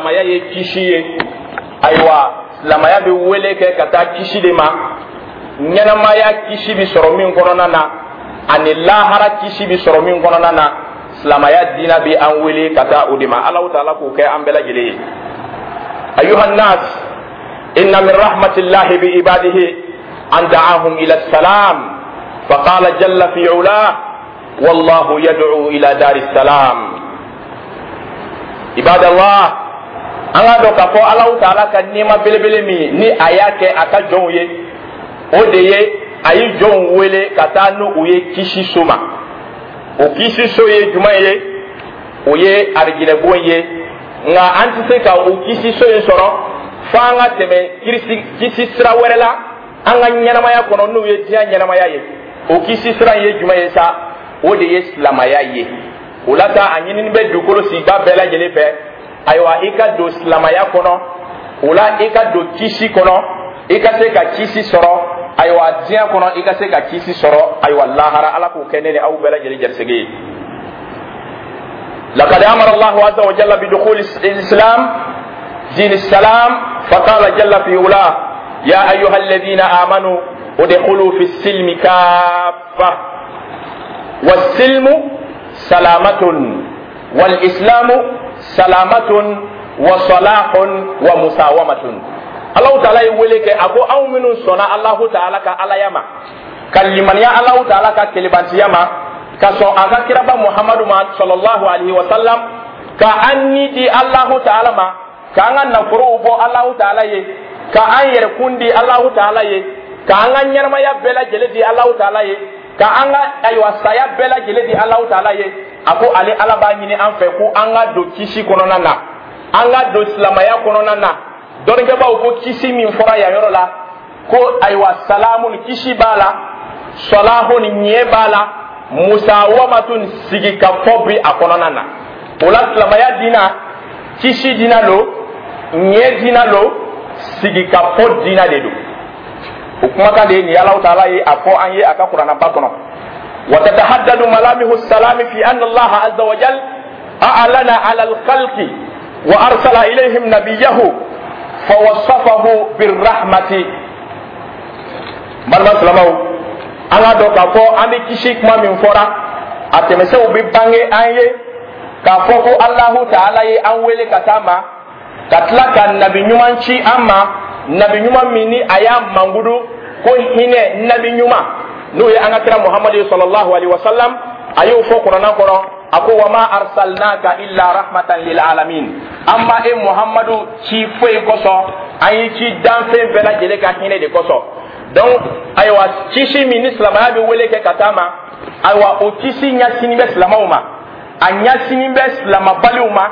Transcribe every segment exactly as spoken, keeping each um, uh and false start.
Silamaya ye kisi ye. Ayiwa, silamaya bɛ wele kɛ ka taa kisi de ma. Ɲɛnamaya kisi bɛ sɔrɔ min kɔnɔna na, ani lahara kisi bɛ sɔrɔ min kɔnɔna na, silamaya diina bɛ an wele ka taa o de ma. Alahu taala k'o kɛ an bɛɛ lajɛlen ye. Ayuha nnas, inna min rahmatillahi bi ibadihi an da'ahum ila salam, faqala jalla fi ulah: wallahu yad'u ila dari salam. Ibadallah, an k'a dɔn k'a fɔ Alahu taala ka nɛɛma belebele min ni a y'a kɛ a ka jɔnw ye, o de ye a ye jɔnw wele ka taa n'u ye kisi so ma. O kisi so ye jumɛn ye? O ye arijinɛbon ye. Nka an tɛ se ka o kisi so in sɔrɔ fo an ka tɛmɛ kirisi kisi sira wɛrɛ la an ka ɲɛnamaya kɔnɔ, n'o ye diɲɛ ɲɛnamaya ye. O kisi sira in ye jumɛn ye sa? O de ye silamaya ye. O la sa, a ɲinini bɛ dugukolo sigibaa bɛɛ lajɛlen fɛ, ayiwa, i ka don silamaya kɔnɔ. O la, i ka don kisi kɔnɔ, i ka se ka kisi sɔrɔ, ayiwa, diɲɛ kɔnɔ, i ka se ka kisi sɔrɔ, ayiwa, lahara. Ala k'o kɛ ne ni aw bɛɛ lajɛlen garisɛgɛ ye. لقد أمر الله عز وجل بدخول الإسلام دين السلام، فقال جل في علاه: يا أيها الذين آمنوا ادخلوا في السلم كافة. والسلم سلامة، والإسلام سلامة وصلاح ومساومة. Alahu taala ye wele kɛ, a ko aw minnu sɔnna Alahu taala ka alaya ma, ka limaniya Alahu taala ka kelebantiya ma, ka sɔn a ka kiraba Muhamadu ma sallallahu alaihi wa sallam, ka an ni di Alahu taala ma, k'an ka nafolow bɔ Alahu taala ye, ka an yɛrɛkun di Alahu taala ye, ka an ka ɲɛnamaya bɛɛ lajɛlen di Alahu taala ye, ka an ka, ayiwa, saya bɛɛ lajɛlen di Alahu taala ye, a ko ale Ala b'a ɲini an fɛ ko an ka don kisi kɔnɔna na, an ka don silamaya kɔnɔna na. Dɔnnikɛbaaw ko kisi min fɔra yan yɔrɔ la, ko ayiwa, salamun, kisi b'a la, salahun, ɲɛ b'a la, musawamatun, sigi ka fɔ bi a kɔnɔna na. O la, silamaya diina, kisi diina lo, ɲɛ diina lo, sigi ka fɔ diina de don. O kumakan de ye nin ye. Alahu taala ye a fɔ an ye a ka kuranaba kɔnɔ: وتتحدد ملامح السلام في أن الله عز وجل أعلن على الخلق وأرسل إليهم نبيه فوصفه بالرحمة. Balima silamɛw, an k'a dɔn k'a fɔ an bɛ kisi kuma min fɔra, a tɛmɛsɛw bɛ bange an ye k'a fɔ ko Alahu taala ye an wele ka taa ma, ka tila ka nabi ɲuman ci an ma, nabi ɲuman min ni a y'a mankudu ko hinɛ nabi ɲuman, n'o ye an ka kira Muhamadu ye sallallahu alaihi wa sallam. A y'o fɔ kuranna kɔnɔ, a ko: wa ma arsalnaka illa rahmatan lil alamin. An ma e Muhamadu ci foyi kosɔn, an y'i ci danfɛn bɛɛ lajɛlen ka hinɛ de kosɔn. Donc, ayiwa, kisi min ni silamɛya bɛ wele kɛ ka taa ma, ayiwa, o kisi ɲɛsini bɛ silamɛw ma, a ɲɛsini bɛ silamɛbaliw ma,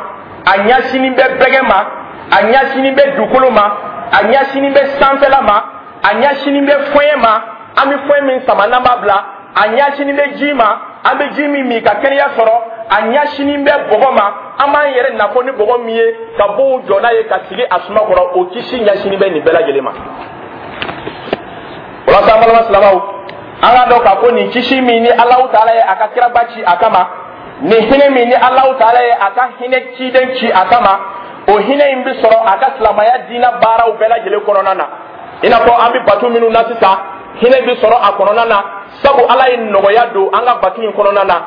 a ɲɛsini bɛ bɛgɛ ma, a ɲɛsini bɛ dugukolo ma, a ɲɛsini bɛ sanfɛla ma, a ɲɛsini bɛ fɔɲɛ ma, an bɛ fɔɲɛ min sama n'an b'a bila, a ɲɛsini bɛ ji ma, an bɛ ji min min ka kɛnɛya sɔrɔ, a ɲɛsini bɛ bɔgɔ ma, an b'an yɛrɛ nafɔ ni bɔgɔ min ye ka bow jɔ n'a ye ka sigi a suma kɔrɔ. O kisi ɲɛsini bɛ nin bɛɛ lajɛlen ma. Walasa, an balima silamɛw, an k'a dɔn k'a fɔ nin kisi min ni Alahu taala ye a ka kiraba ci a kama, nin hinɛ min ni Alahu taala ye a ka hinɛ ciden ci a kama, o hinɛ in bɛ sɔrɔ a ka silamɛya diinɛ baaraw bɛɛ lajɛlen kɔnɔna na. I n'a fɔ an bɛ batu minnu na sisan, hinɛ bɛ sɔrɔ a kɔnɔna na, sabu Ala ye nɔgɔya don an ka batu in kɔnɔna na.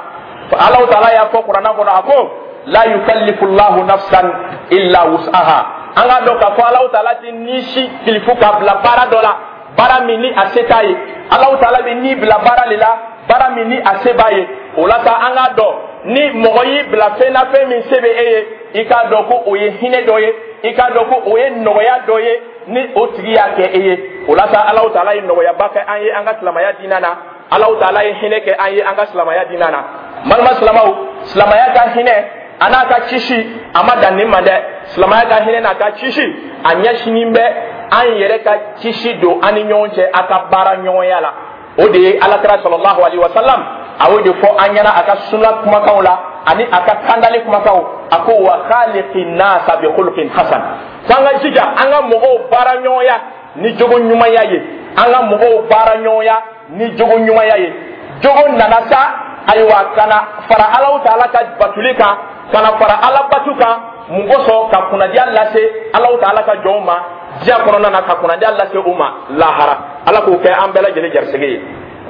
Alahu taala y'a fɔ kuranna kɔnɔ, a ko: la yukallifu llahu nafsan illa wus'aha. An k'a dɔn k'a fɔ Alahu taala ti ni si kilifu k'a bila baara dɔ la, baara min ni a se t'a ye. Alahu taala bɛ ni bila baara de la, baara min ni a se b'a ye. O la sa, an k'a dɔn, ni mɔgɔ y'i bila fɛn na, fɛn min se bɛ e ye, i k'a dɔn ko o ye hinɛ dɔ ye, i k'a dɔn ko o ye nɔgɔya dɔ ye ni o tigi y'a kɛ e ye. O la sa, Alahu taala ye nɔgɔyaba kɛ an ye an ka silamɛya diinɛ na. Alahu taala ye hinɛ kɛ an ye an ka silamɛya diinɛ na. Balima silamɛw, silamɛya ka hinɛ a n'a ka kisi, a ma dan nin ma dɛ. Silamɛya ka hinɛ n'a ka kisi, a ɲɛsinin bɛ an yɛrɛ ka kisi don an ni ɲɔgɔn cɛ a ka baara ɲɔgɔnya la. O de ye alakira sallallahu alaihi wa sallam, a y'o de fɔ an ɲɛna a ka sunna kumakanw la ani a ka kandali kumakanw. A ko: wa khaliqin nasa bi khuluqin hasan. Ko an ka jija an ka mɔgɔw baara ɲɔgɔnya ni jogo ɲumanya ye, an ka mɔgɔw baara ɲɔgɔnya ni jogo ɲumanya ye. Jogo nana sa, ayiwa, ka na fara Alahu taala ka batuli kan, ka na fara Ala batu kan. Mun kosɔn? Ka kunnadiya lase Alahu taala ka jɔnw ma diɲɛ kɔnɔna na, ka kunnadiya lase u ma lahara. Ala k'o kɛ an bɛɛ lajɛlen garisɛgɛ ye.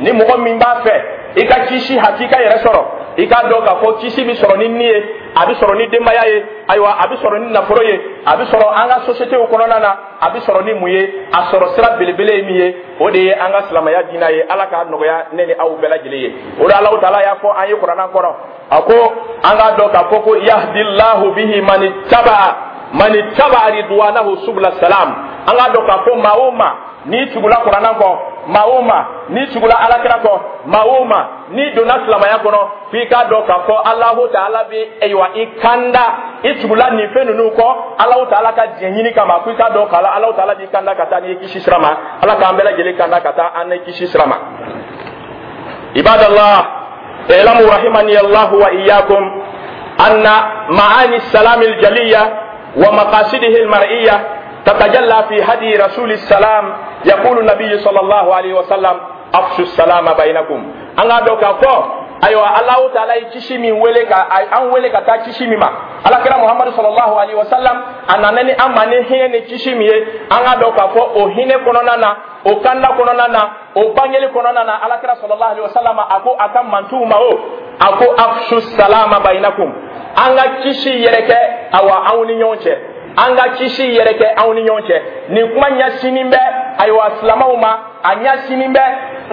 Ni mɔgɔ min b'a fɛ i ka kisi hakika yɛrɛ sɔrɔ, i k'a dɔn k'a fɔ kisi bɛ sɔrɔ ni ni ye, a bɛ sɔrɔ ni denbaya ye, ayiwa a bɛ sɔrɔ ni nafolo ye, a bɛ sɔrɔ an ka société kɔnɔna na, a bɛ sɔrɔ ni mun ye? A sɔrɔ sira belebele ye min ye, o de ye an ka silamɛya diinɛ ye. Ala k'a nɔgɔya ne ni aw bɛɛ lajɛlen ye. O de Alahu taala y'a fɔ an ye kuranna kɔnɔ, a ko an k'a dɔn k'a fɔ ko yahdillahu bihi man ittaba'a man ittaba'a ridwanahu subula salam. An k'a dɔn k'a fɔ maa o maa n'i tugula kuranna kɔ, maa o maa n'i tugula alakira kɔ, maa o maa n'i donna silamɛya kɔnɔ, f'i k'a dɔn k'a fɔ Alahu taala bɛ ayiwa i kanda i tugula nin fɛn ninnu kɔ Alahu taala ka diɲɛ ɲini kama, f'i k'a dɔn k'a la Alahu taala b'i kanda ka taa n'i kisi sira ma. Ala k'an bɛɛ lajɛlen kanda ka taa an ni kisi sira ma. Ibadallah, i'lamu rahimani Allahu wa iyyakum anna ma'ani salam al-jaliyya wa maqasidihi al-mar'iyya تتجلى في هدي رسول السلام. يقول النبي صلى الله عليه وسلم أفشوا السلام بينكم. أنا دوكا فو أيوة الله تعالى kisi min wele ka an wele ka taa kisi min ma, alakira Muhammadu sallallahu alaihi wasallam a nana ni an ma ni hinɛ ni kisi min ye, an ka dɔn k'a fɔ o hinɛ kɔnɔna na, o kanda kɔnɔna na, o bangeli kɔnɔna na, alakira sallallahu alaihi wasallam a ko a ka mantuw ma o a ko afshu salama bainakum, an ka kisi yɛrɛ kɛ awa anw ni ɲɔgɔn cɛ, an ka kisi yɛrɛ kɛ anw ni ɲɔgɔn cɛ. Nin kuma ɲɛsinin bɛ ayiwa silamɛw ma, a ɲɛsinin bɛ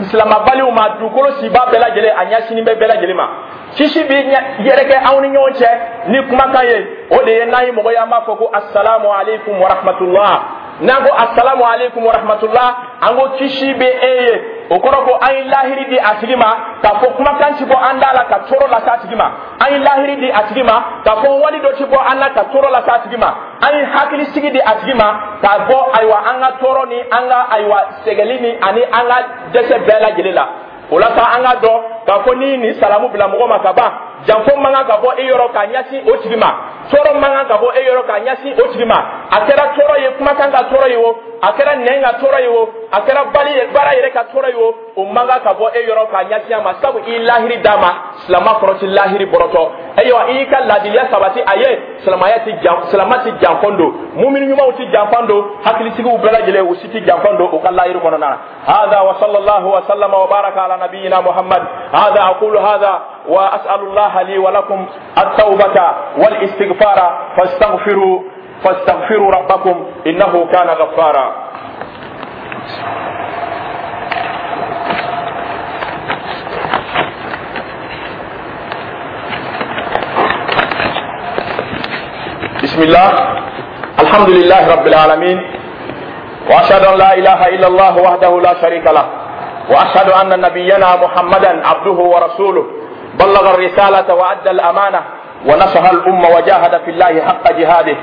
silamɛbaliw ma, dugukolo siba bɛɛ lajɛlen a ɲɛsinin bɛ bɛɛ lajɛlen ma. Kisi bi yɛrɛ kɛ anw ni ɲɔgɔn cɛ ni kumakan ye, o de ye n'an ye mɔgɔ ye an b'a fɔ ko asalamu aleykum wa rahmatulah. N'an ko asalamu aleykum wa rahmatulah, an ko kisi bɛ e ye, o kɔrɔ ko an ye lahiri di a tigi ma k'a fɔ kumakan ti bɔ an da la ka tɔɔrɔ lase a tigi ma, an ye lahiri di a tigi ma k'a fɔ wali dɔ ti bɔ an na ka tɔɔrɔ lase a tigi ma, an ye hakilisigi di a tigi ma k'a bɔ ayiwa an ka tɔɔrɔ ni an ka ayiwa sɛgɛli ni ani an ka dɛsɛ bɛɛ lajɛlen la. O la sa an ka dɔn k'a fɔ ni nin salamu bila mɔgɔ ma ka ban, janfo man kan ka bɔ e yɔrɔ k'a ɲɛsin o tigi ma, tɔɔrɔ man kan ka bɔ e yɔrɔ k'a ɲɛsin o tigi ma. A kɛra tɔɔrɔ ye kumakan ka tɔɔrɔ ye o, a kɛra nɛn ka tɔɔrɔ ye o, a kɛra bali baara yɛrɛ ka tɔɔrɔ ye o, o man kan ka bɔ e yɔrɔ k'a ɲɛsin a ma, sabu i lahiri d'a ma, silama kɔrɔ ti lahiri bɔrɔtɔ. Ayiwa i y'i ka laadiliya sabati a ye, silamaya ti jan, silama ti janfɔn don, mumini ɲumanw ti janfɔn don, hakilitigiw bɛɛ lajɛlen u si ti janfɔn don u ka lahiri kɔnɔna na. Hada wa sallallahu wa sallama wa baraka ala nabiyyina Muhammad. Hada aqulu hada wa as'alu Allah li wa lakum at-tawbata wal istighfara fastaghfiru fastaghfiru rabbakum innahu kana ghaffara. بسم الله، الحمد لله رب العالمين، وأشهد أن لا إله إلا الله وحده لا شريك له، وأشهد أن نبينا محمدا عبده ورسوله، بلغ الرسالة وأدى الأمانة ونصح الأمة وجاهد في الله حق جهاده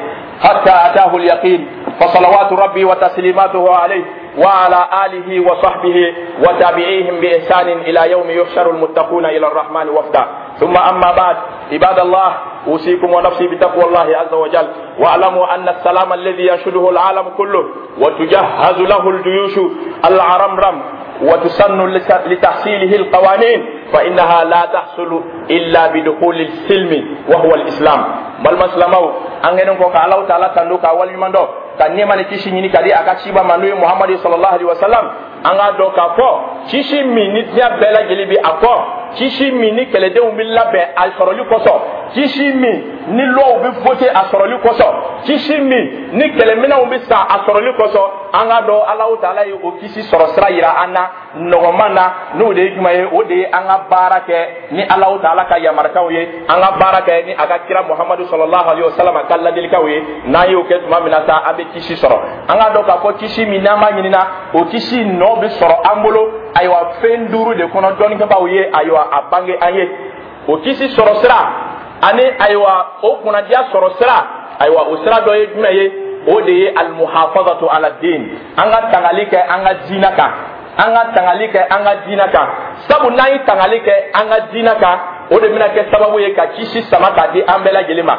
حتى أتاه اليقين، فصلوات ربي وتسليماته عليه وعلى آله وصحبه وتابعيهم بإحسان إلى يوم يحشر المتقون إلى الرحمن وفدا. ثم أما بعد، عباد الله، أوصيكم ونفسي بتقوى الله عز وجل، واعلموا أن السلام الذي ينشده العالم كله وتجهز له الجيوش العرمرم وتسن لتحصيله القوانين فإنها لا تحصل إلا بدخول السلم وهو الإسلام. بل مسلمو أنغنكو الله تعالى تندوكا واليمندو ka nɛɛma ni kisi ɲini ka di a ka ciba ma n'o ye Muhamadu sallallahu alaihi wasallam. An k'a dɔn k'a fɔ kisi min ni diɲɛ bɛɛ lajɛlen bɛ a kɔ, kisi min ni kɛlɛdenw bɛ labɛn a sɔrɔli kosɔn, kisi min ni lɔw bɛ vote a sɔrɔli kosɔn, kisi min ni kɛlɛminɛnw bɛ san a sɔrɔli kosɔn, an k'a dɔn Alahu taala ye o kisi sɔrɔ sira yira an na nɔgɔman na, n'o de ye jumɛn ye? O de ye an ka baara kɛ ni Alahu taala ka yamarukanw ye, an ka baara kɛ ni a ka kira Muhamadu sallallahu alaihi wasallam ka ladilikanw ye. N'an y'o kɛ tuma min na sa, an bɛ kisi sɔrɔ. An k'a dɔn k'a fɔ kisi min n'an b'a ɲinina, o kisi nɔ bɛ sɔrɔ an bolo ayiwa fɛn duuru de kɔnɔ, dɔnnikɛbaaw ye ayiwa a bange an ye. O kisi sɔrɔ sira ani ayiwa o kunnadiya sɔrɔ sira, ayiwa o sira dɔ ye jumɛn ye? O de ye almuhafazatu ala din, an ka tangali kɛ an ka diinɛ kan, an ka tangali kɛ an ka diinɛ kan. Sabu n'an ye tangali kɛ an ka diinɛ kan, o de bɛna kɛ sababu ye ka kisi sama k'a di an bɛɛ lajɛlen ma.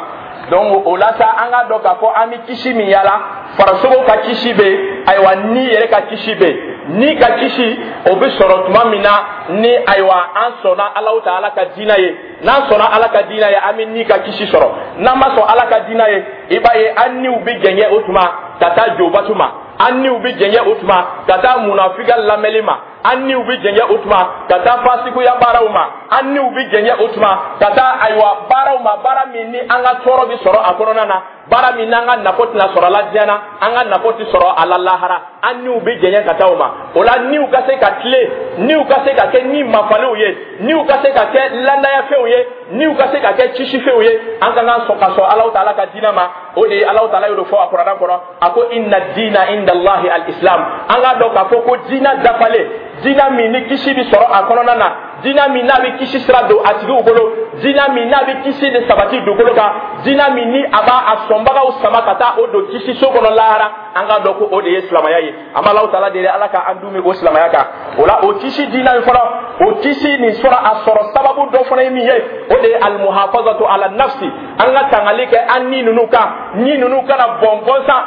Donc o la sa, an k'a dɔn k'a fɔ an bɛ kisi min yala, farisogo ka kisi bɛ yen, ayiwa ni yɛrɛ ka kisi bɛ yen. Ni ka kisi o bɛ sɔrɔ tuma min na ni ayiwa an sɔnna Alahu taala ka diinɛ ye. N'an sɔnna Ala ka diinɛ ye, an bɛ ni ka kisi sɔrɔ. N'an ma sɔn Ala ka diinɛ ye, I b'a ye, an niw bɛ jɛngɛ o tuma ka taa jobatu ma, an niw bɛ jɛngɛ o tuma ka taa munafiga lamɛnli ma, an niw bɛ jɛngɛ o tuma ka taa fasikuya baaraw ma, an niw bɛ jɛngɛ o tuma ka taa, ayiwa, baaraw ma, baara min ni an ka tɔɔrɔ bɛ sɔrɔ a kɔnɔna na, baara min n'an ka nafo tɛna sɔrɔ a la diɲɛ na, an ka nafo tɛ sɔrɔ a la lahara. An niw bɛ jɛngɛ ka taa o ma. O la, niw ka se ka tilen, niw ka se ka kɛ ni mafaliw ye, niw ka se ka kɛ landayafɛnw ye, niw ka se ka kɛ kisifɛnw ye, an ka kan sɔn ka sɔn Alahu Taala ka diinɛ ma. O de ye Alahu Taala y'o de fɔ a Kuranɛ kɔnɔ, a ko: "Inna diina inda Allahi al-islam." An k'a dɔn k'a fɔ ko diinɛ dafalen, diinɛ min ni kisi bɛ sɔrɔ a kɔnɔna na, diinɛ min n'a bɛ kisi sira don a tigiw bolo, diinɛ min n'a bɛ kisi de sabati dugukolo kan, diinɛ min ni a b'a a sɔnbagaw sama ka taa o don kisi so kɔnɔ lahara, an k'a dɔn ko o de ye silamɛya ye. An b'Alahu Taala deli, Ala ka an dun o silamɛya kan. O la, o kisi diinɛ in fɔlɔ, o kisi nin sɔrɔ, a sɔrɔ sababu dɔ fana ye min ye, o de ye almuhafazatu ala nafsi, an ka tangali kɛ an ni ninnu kan, ni ninnu kana bɔn gɔnsan.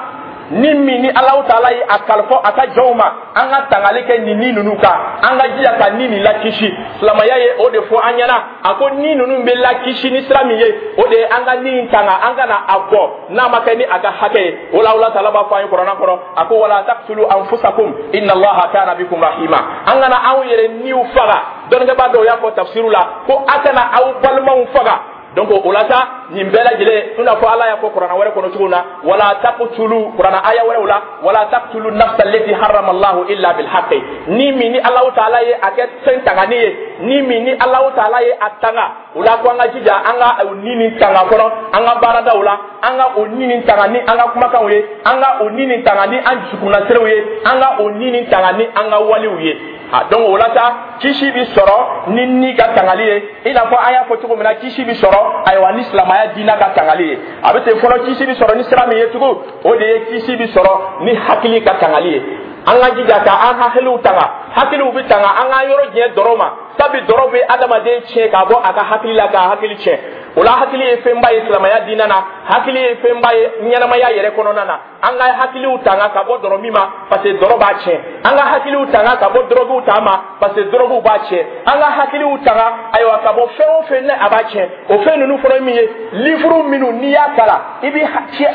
Ni min ni Alahu Taala ye a kalifa a ka jɔnw ma, an ka tangali kɛ nin ni ninnu kan, an ka jija ka ni nin lakisi. Silamɛya ye o de fɔ an ɲɛna. A ko ni ninnu bɛ lakisi ni sira min ye, o de ye an ka ni tanga, an ka na a bɔ n'a ma kɛ ni a ka hakɛ ye. O la, Ala Taala b'a fɔ an ye Kuranɛ kɔnɔ, a ko: "Wala taqtulu anfusakum, inna Allaha kana bikum rahima." An kana anw yɛrɛ niw faga. Dɔnnikɛbaa dɔw y'a fɔ tafsiru la ko a kana aw balimaw faga. Donc o la sa, nin bɛɛ lajɛlen, i n'a fɔ Ala y'a fɔ Kuranɛ wɛrɛ kɔnɔ cogo min na, wala taqtulu, Kuranɛ aya wɛrɛw la, wala taqtulu nafsa allati harrama Allahu illa bil haqqi. Ni min ni Alahu Taala ye a kɛ fɛn tangani ye, ni min ni Alahu Taala ye a tanga, o la ko an ka jija an ka o ni nin tanga kɔnɔ an ka baaradaw la, an ka o ni nin tanga ni an ka kumakanw ye, an ka o ni nin tanga ni an dusukunnasiriw ye, an ka o ni nin tanga ni an ka walew ye. A donc o la sa, kisi bi sɔrɔ ni ni ka tangali ye, i n'a fɔ an y'a fɔ cogo min na, kisi bi sɔrɔ, ayiwa, ni silamɛya diinɛ ka tangali ye. A bɛ ten fɔlɔ, kisi bi sɔrɔ ni sira min ye tugun, o de ye kisi bi sɔrɔ ni hakili ka tangali ye. An ka jija ka an hakiliw tanga. Hakiliw bi tanga, an k'an yɔrɔ jɛn dɔrɔ ma, sabi dɔrɔ bɛ adamaden tiɲɛ k'a bɔ a ka hakili la, k'a hakili tiɲɛ. O la, hakili ye fɛnba ye silamɛya diinɛ na, hakili ye fɛnba ye ɲɛnamaya yɛrɛ kɔnɔna na. An ka hakiliw tanga ka bɔ dɔrɔ min ma, parce que dɔrɔ b'a tiɲɛ. An ka hakiliw tanga ka bɔ dɔrɔguw ta ma, parce que dɔrɔguw b'a tiɲɛ. An ka hakiliw tanga, ayiwa, ka bɔ fɛn o fɛn ni a b'a tiɲɛ. O fɛn ninnu fɔlɔ ye min ye, livre minnu n'i y'a kalan, i bɛ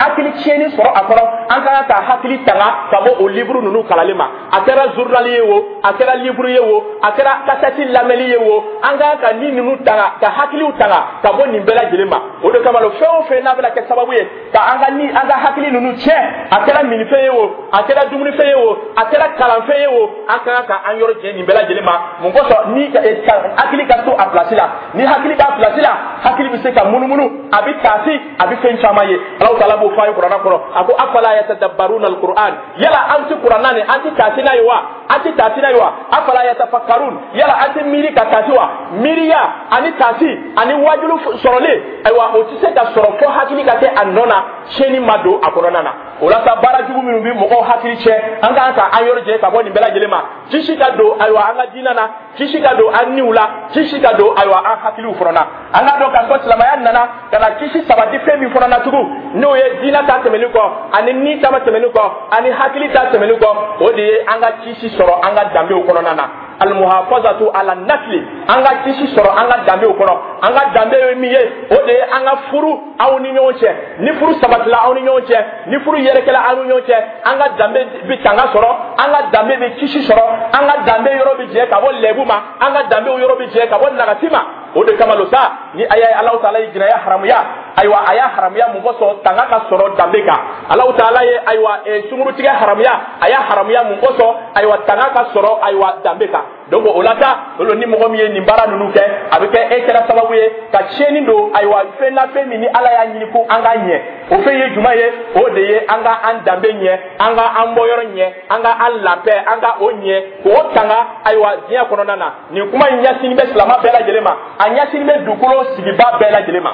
hakili tiɲɛni sɔrɔ a kɔnɔ, an ka kan ka hakili tanga ka bɔ o livre ninnu kalali ma. A kɛra journal ye o, a kɛra livre ye o, a kɛra kasɛti lamɛnli ye o, an ka kan ka ni ninnu tanga, ka hakiliw tanga ka bɔ nin bɛɛ lajɛlen ma. O de kama, fɛn o fɛn n'a bɛna kɛ sababu ye ka an ka ni an ka hakili ninnu tiɲɛ, a kɛra minifɛn ye o, a kɛra dumunifɛn ye o, a kɛra kalanfɛn ye o, an ka kan ka an yɔrɔ jɛ nin bɛɛ lajɛlen ma. Mun kosɔn? Ni hakili ka to a place la. Ni hakili b'a place la, hakili bɛ se ka munumunu, a bɛ taasi, a bɛ fɛn caman ye. Alahu Taala b'o fɔ an ye Kuranɛ kɔnɔ, a ko: "Afala yatadabbaruna alquran?" Yala an tɛ Kuranɛ nin, an tɛ taasi n'a ye wa? An tɛ taasi n'a ye wa? "Afala yatafakkarun?" Yala an tɛ miiri ka taasi wa? Miiriya ani taasi ani wajulu sɔrɔlen, ayiwa, o tɛ se ka sɔrɔ fo hakili ka kɛ a nɔ na, tiɲɛni ma don a kɔnɔna na. O la sa, baara jugu minnu bɛ mɔgɔw hakili tiɲɛ, an kan ka an yɔrɔ jɛ ka bɔ nin bɛɛ lajɛlen ma. Kisi ka don, ayiwa, an ka diinɛ na, kisi ka don an niw la, kisi ka don, ayiwa, an hakiliw fana na. An ka dɔn k'a fɔ silamɛya nana ka na kisi sabati fɛn min fana na tugun, n'o ye diinɛ ta tɛmɛnen kɔ, ani ni ta tɛmɛnen kɔ, ani hakili ta tɛmɛnen kɔ, o de ye an ka kisi sɔrɔ an ka danbew kɔnɔna na, almuhafazatu ala nasli, an ka kisi sɔrɔ an ka danbew kɔnɔ. An ka danbe ye min ye, o de ye an ka furu aw ni ɲɔgɔn cɛ. Ni furu sabatila aw ni ɲɔgɔn cɛ, ni furu yɛrɛkɛla aw ni ɲɔgɔn cɛ, an ka danbe bi tanga sɔrɔ, an ka danbe bi kisi sɔrɔ, an ka danbe yɔrɔ bi jɛ ka bɔ lɛbu ma, an ka danbew yɔrɔ bi jɛ ka bɔ nagasi ma. O de kama lo sa, ni a y'a ye Alahu Taala ye jinaya haramuya, ayiwa, a y'a haramuya mun kosɔn? Tanga ka sɔrɔ danbe kan. Alahu Taala ye, ayiwa, sunkurutigɛ haramuya, a y'a haramuya mun kosɔn? Ayiwa, tanga ka sɔrɔ, ayiwa, danbe kan. Donc o la sa, o ni mɔgɔ min ye nin baara ninnu kɛ, a bɛ kɛ e kɛra sababu ye ka tiɲɛni don, ayiwa, fɛn na, fɛn min ni Ala y'a ɲini ko an k'a ɲɛ. O fɛn ye jumɛn ye? O de ye an ka an danbe ɲɛ, an ka an bɔyɔrɔ ɲɛ, an ka an labɛn, an ka o ɲɛ k'o tanga, ayiwa, diɲɛ kɔnɔna na. Nin kuma in ɲɛsinin bɛ silamɛ bɛɛ lajɛlen ma, a ɲɛsinin bɛ dugukolo sigibaa bɛɛ lajɛlen ma.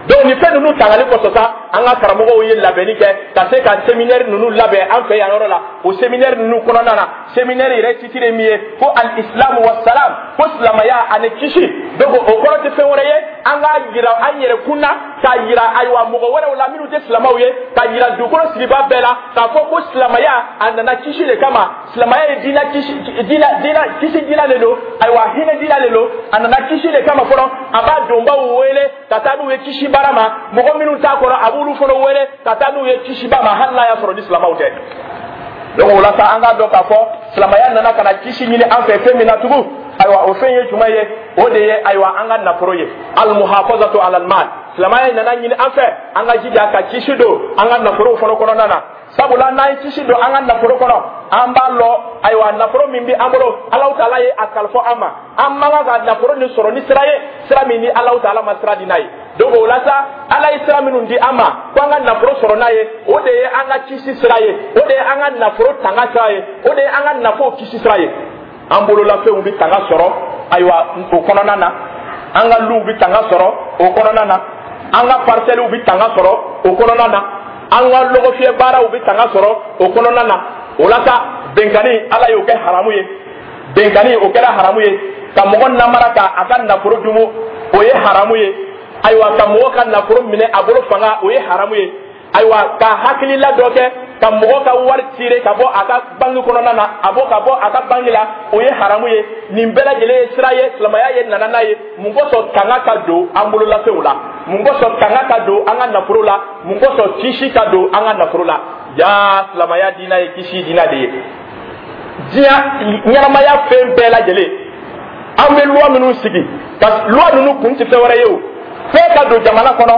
Donc nin fɛn ninnu tangali kosɔn sa, an ka karamɔgɔw ye labɛnni kɛ ka se ka séminaire ninnu labɛn an fɛ yan yɔrɔ la. O séminaire ninnu kɔnɔna na, séminaire yɛrɛ titre ye min ye ko al-islamu wa salam, ko silamɛya ani kisi. Donc o kɔrɔ tɛ fɛn wɛrɛ ye, an k'a yira an yɛrɛ kun na, k'a yira, ayiwa, mɔgɔ wɛrɛw la minnu tɛ silamɛw ye, k'a yira dugukolo sigibaa bɛɛ la k'a fɔ ko silamɛya a nana kisi de kama. Silamɛya ye diinɛ kisi, diinɛ diinɛ kisi diinɛ de don, ayiwa, hinɛ diinɛ de don. A nana kisi de kama fɔlɔ. A b'a donbaw wele ka taa n'u ye kisi baara ma. Mɔgɔ minnu t'a kɔnɔ, a b'u B'olu fana wele ka taa n'u ye kisiba ma, hali n'a y'a sɔrɔ ni silamɛw tɛ. Donc o la sa, an k'a dɔn k'a fɔ silamɛya nana ka na kisi ɲini an fɛ fɛn min na tugun, ayiwa, o fɛn ye jumɛn ye? O de ye, ayiwa, an ka nafolo ye, almuhafazatu alal mal. Silamɛya nana ɲini an fɛ an ka jija ka kisi don an ka nafolow fana kɔnɔna na, sabula n'an ye kisi don an ka nafolo kɔnɔ, an b'a lɔ, ayiwa, nafolo min bɛ an bolo, Alahu taala ye a kalifa an ma. An man kan ka nafolo nin sɔrɔ ni sira ye, sira min ni Alahu taala ma sira di n'a ye. Donc o la sa, Ala ye sira minnu di an ma ko an ka nafolo sɔrɔ n'a ye, o de ye an ka kisi sira ye, o de ye an ka nafolo tanga sira ye, o de ye an ka nafolo kisi sira ye. An bololafɛnw bɛ tanga sɔrɔ, ayiwa, o kɔnɔna na. An ka luw bɛ tanga sɔrɔ o kɔnɔna na. An ka parcelles bɛ tanga sɔrɔ o kɔnɔna na. An ka lɔgɔfiyɛ baaraw bɛ tanga sɔrɔ o kɔnɔna na. O la sa, benkani, Ala y'o kɛ haramu ye. Benkani, o kɛra haramu ye. Ka mɔgɔ namara ka a ka nafolo dumu, o ye haramu ye. Ayiwa, ka mɔgɔ ka nafolo minɛ a bolo fanga, o ye haramu ye. Ayiwa, ka hakilila dɔ kɛ ka mɔgɔ ka wari tirer ka bɔ a ka banki kɔnɔna na, a bɔ ka bɔ a ka banki la, o ye haramu ye. Nin bɛɛ lajɛlen ye sira ye silamɛya ye nana n'a ye. Mun kosɔn? Tanga ka don an bololafɛnw la. Mun kosɔn? Tanga ka don an ka nafolo la. Mun kosɔn? Kisi ka don an ka nafolo la. Jaa, silamɛya diinɛ ye kisi diinɛ de ye. Diɲɛ ɲɛnamaya fɛn bɛɛ lajɛlen, an bɛ loi minnu sigi, ka loi ninnu kun tɛ fɛn wɛrɛ ye o, fɛn ka don jamana kɔnɔ,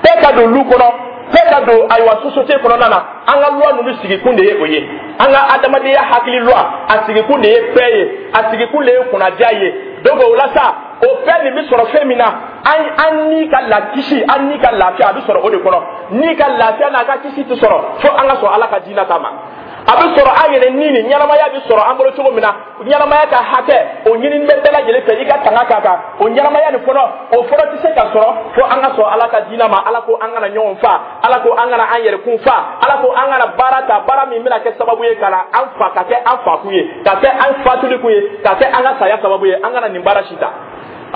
fɛn ka don lu kɔnɔ, fɛn ka don, ayiwa, société kɔnɔna na. An ka loi ninnu sigikun de ye o ye. An ka adamadenya hakili loi, a sigikun de ye paix ye, a sigikun de ye kunnadiya ye. Donc o la sa, o fɛn nin bɛ sɔrɔ fɛn min na, an an ni ka lakisi, an ni ka lafiya, a bɛ sɔrɔ o de kɔnɔ. Ni ka lafiya n'a ka kisi tɛ sɔrɔ fo an ka sɔn Ala ka diinɛ ta ma. A bɛ sɔrɔ an yɛrɛ ni nin ɲɛnamaya bɛ sɔrɔ an bolo cogo min na, ɲɛnamaya ka hakɛ, o ɲini bɛ bɛɛ lajɛlen fɛ, i ka tanga k'a kan. O ɲɛnamaya nin fɔlɔ, o fɔlɔ tɛ se ka sɔrɔ fo an ka sɔn Ala ka diinɛ ma. Ala ko an kana ɲɔgɔn fa, Ala ko an kana an yɛrɛkun fa, Ala ko an kana baara ta, baara min bɛna kɛ sababu ye ka na an fa, ka kɛ an fakun ye, ka kɛ an fatuli kun ye, ka kɛ an ka saya sababu ye. An kana nin baara si ta.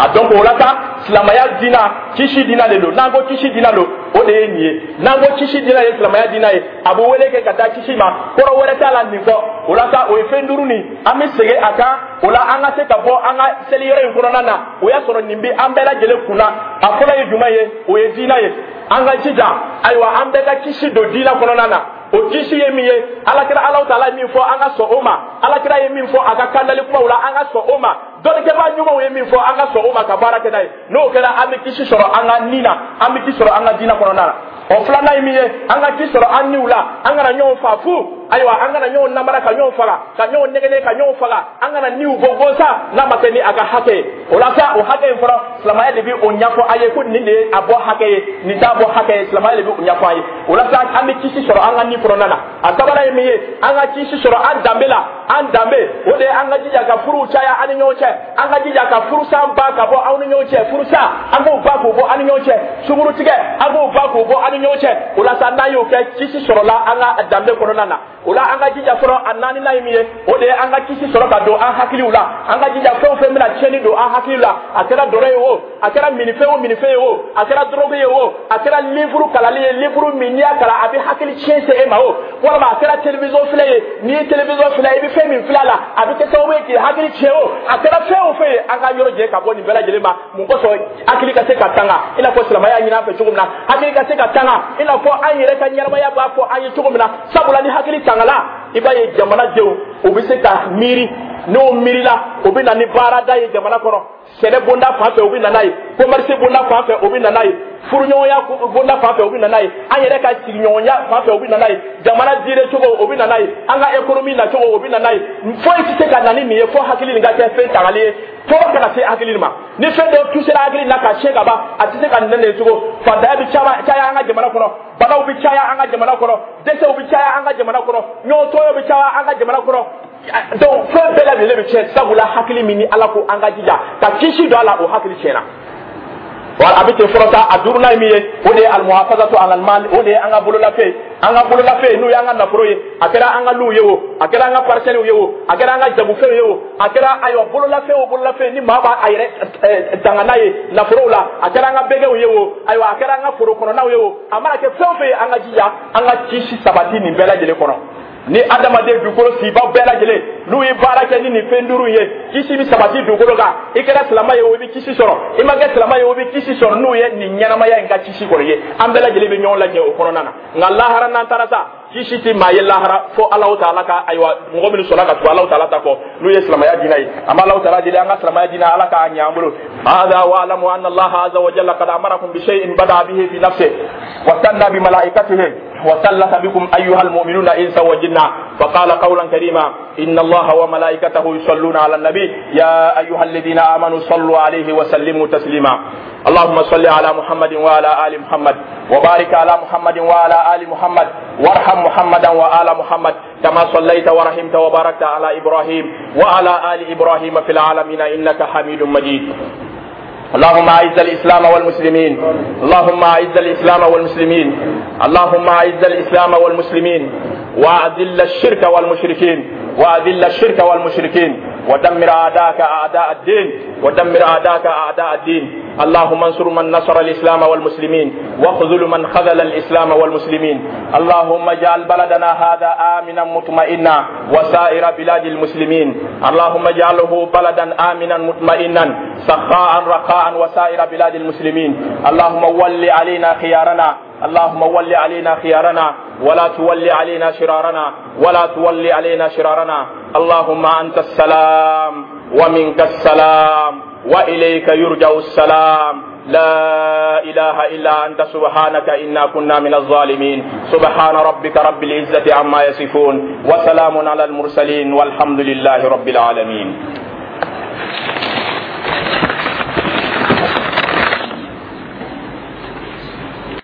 A donc o la sa, silamɛya diina, kisi diina de don. N'an ko kisi diina don, o de ye nin ye. N'an ko kisi diina ye silamɛya diina ye, a bɛ wele kɛ ka taa kisi ma, kɔrɔ wɛrɛ t'a la nin kɔ. O la sa, o ye fɛn duuru nin, an bɛ segin a kan. O la, an ka se ka bɔ an ka seli yɔrɔ in kɔnɔna na, o y'a sɔrɔ nin bɛ an bɛɛ lajɛlen kunna. A fɔlɔ ye jumɛn ye? O ye diina ye. An ka jija, ayiwa, an bɛɛ ka kisi don diina kɔnɔna na. O kisi ye min ye, Alakira, Alahu taala ye min fɔ, an ka sɔn o ma. Alakira ye min fɔ a ka kandali kumaw la, an ka sɔn o ma. Dɔnnikɛbaa ɲumanw ye min fɔ, an ka sɔn o ma ka baara kɛ n'a ye. N'o kɛra, an bɛ kisi sɔrɔ an ka ni na, an bɛ kisi sɔrɔ an ka diinɛ kɔnɔna na. O filanan ye min ye, an ka kisi sɔrɔ an niw la. An kana ɲɔgɔn fa fu, ayiwa, an kana ɲɔgɔn namara ka ɲɔgɔn faga, ka ɲɔgɔn nɛgɛnɛ ka ɲɔgɔn faga. An kana niw bɔ gansan n'a ma kɛ ni a ka hakɛ ye. O la sa, o hakɛ in fɔlɔ, silamɛya de bɛ o ɲɛfɔ a ye ko nin de ye a bɔ hakɛ ye, nin t'a bɔ hakɛ ye. Silamɛya de bɛ o ɲɛfɔ a ye. O la sa, an bɛ kisi sɔrɔ an ka ni kɔnɔna na. A sabanan ye min ye, an ka kisi sɔrɔ an danbe la. An danbe, o de ye an ka jija ka furuw caya an ni ɲɔgɔn cɛ, an ka jija ka furusan ba ka bɔ aw ni ɲɔgɔn cɛ. Furusa, an k'o ba k'o bɔ an ni ɲɔgɔn cɛ. Sunkurutigɛ, an k'o ba k'o bɔ an ni ɲɔgɔn cɛ. O la sa, n'an y'o kɛ, kisi sɔrɔla an ka danbe kɔnɔna na. O la, an ka jija fɔlɔ. A naaninan ye min ye, o de ye an ka kisi sɔrɔ ka don an hakiliw la. An ka jija, fɛn o fɛn bɛna tiɲɛni don an hakili la, a kɛra dɔrɔ ye o, a kɛra minifɛn o minifɛn ye o, a kɛra drogue ye o, a kɛra livre kalali ye, livre min n'i y'a kalan a bɛ hakili tiɲɛ se e ma o, walima a kɛra télévision filɛ ye, n'i ye télévision filɛ, i bɛ fɛn min filɛ a la, a bɛ kɛ sababu ye k'i hakili tiɲɛ o, a kɛra fɛn o fɛn ye, an ka yɔrɔ jɛ ka bɔ nin bɛɛ lajɛlen ma. Mun kosɔn? Hakili ka se ka tanga, i n'a fɔ silamɛya ɲini an fɛ cogo min na. Hakili ka se ka tanga, i n'a fɔ an yɛrɛ ka ɲɛnamaya b'a fɔ an ye cogo min na. Sabula ni hakili tangala, i b'a ye jamanadenw, u bɛ se ka miiri. N'o miirila, o bɛ na ni baarada ye jamana kɔnɔ. Sɛnɛ bonda fan fɛ, o bɛ na n'a ye. Commerce bonda fan fɛ, o bɛ na n'a ye. Furuɲɔgɔnya bonda fan fɛ, o bɛ na n'a ye. An yɛrɛ ka sigiɲɔgɔnya fan fɛ, o bɛ na n'a ye. Jamana diinɛ cogo, o bɛ na n'a ye. An ka économie nacogo, o bɛ na n'a ye. Foyi tɛ se ka na ni nin ye fo hakili nin ka kɛ fɛn tangali ye. Tɔɔrɔ kana se hakili ma. Ni fɛn dɔ tusera hakili la ka tiɲɛ ka ban, a tɛ se ka nɛ nin cogo. Fantanya bɛ caya an ka jamana kɔnɔ, banaw bɛ caya an ka jamana kɔnɔ, dɛsɛw bɛ caya an ka jamana kɔnɔ, ɲɔgɔn tɔɲɔ bɛ caya an ka jamana kɔnɔ. Donc fɛn bɛɛ lajɛlen bɛ tiɲɛ, sabula hakili min ni Ala ko an ka jija ka kisi don a la, o hakili tiɲɛna. Wala a bɛ ten fɔlɔ sa. A duurunan ye min ye, o de ye almuhafazatu alal mal, o de ye an ka bololafɛn. An ka bololafɛn, n'o y'an ka nafolo ye, a kɛra an ka luw ye o, a kɛra an ka parcelles ye o, a kɛra an ka jagofɛnw ye o, a kɛra, ayiwa, bololafɛn o bololafɛn ni maa b'a a yɛrɛ tanga n'a ye nafolow la, a kɛra an ka bɛgɛw ye o, ayiwa, a kɛra an ka foro kɔnɔnaw ye o, a mana kɛ fɛn o fɛn ye, an ka jija an ka kisi sabati nin bɛɛ lajɛlen kɔnɔ. Ni adamaden dugukolo sibaw bɛɛ lajɛlen n'u ye baara kɛ ni nin fɛn duuru ye, kisi bɛ sabati dugukolo kan. I kɛra silama ye o, i bɛ kisi sɔrɔ. I ma kɛ silama ye o, i bɛ kisi sɔrɔ n'u ye nin ɲɛnamaya in ka kisi kɔrɔ ye. An bɛɛ lajɛlen bɛ ɲɔgɔn lajɛ o kɔnɔna na. Nka lahara n'an taara sa, kisi ti maa ye lahara fo Alahu taala ka, ayiwa, mɔgɔ minnu sɔnna ka tugu Alahu taala ta kɔ, n'u ye silamɛya diinɛ ye. An bɛ Alahu taala deli, an ka silamɛya diinɛ, Ala k'a ɲɛ an bolo. هذا واعلموا أن الله عز وجل قد أمركم بشيء بدأ به في نفسه وثنى بملائكته وثلث بكم أيها المؤمنون إنسا وجنا، فقال قولا كريما: إن الله وملائكته يصلون على النبي يا أيها الذين آمنوا صلوا عليه وسلموا تسليما. اللهم صل على محمد وعلى آل محمد وبارك على محمد وعلى آل محمد وارحم محمدا وآل محمد كما صليت ورحمت وباركت على إبراهيم وعلى آل إبراهيم في العالمين إنك حميد مجيد. اللهم اعز الاسلام والمسلمين. اللهم اعز الاسلام والمسلمين. اللهم اعز الاسلام والمسلمين واذل الشرك والمشركين. واذل الشرك والمشركين ودمر اعداءك اعداء الدين. ودمر اعداءك اعداء الدين. اللهم انصر من نصر الاسلام والمسلمين واخذل من خذل الاسلام والمسلمين. اللهم اجعل بلدنا هذا امنا مطمئنا وسائر بلاد المسلمين. اللهم اجعله بلدا امنا مطمئنا سخاء رخاء وسائر بلاد المسلمين. اللهم ول علينا خيارنا. اللهم ول علينا خيارنا ولا تول علينا شرارنا. ولا تول علينا شرارنا. اللهم انت السلام ومنك السلام واليك يرجع السلام. لا اله الا انت، سبحانك انا كنا من الظالمين. سبحان ربك رب العزه عما يصفون وسلام على المرسلين والحمد لله رب العالمين.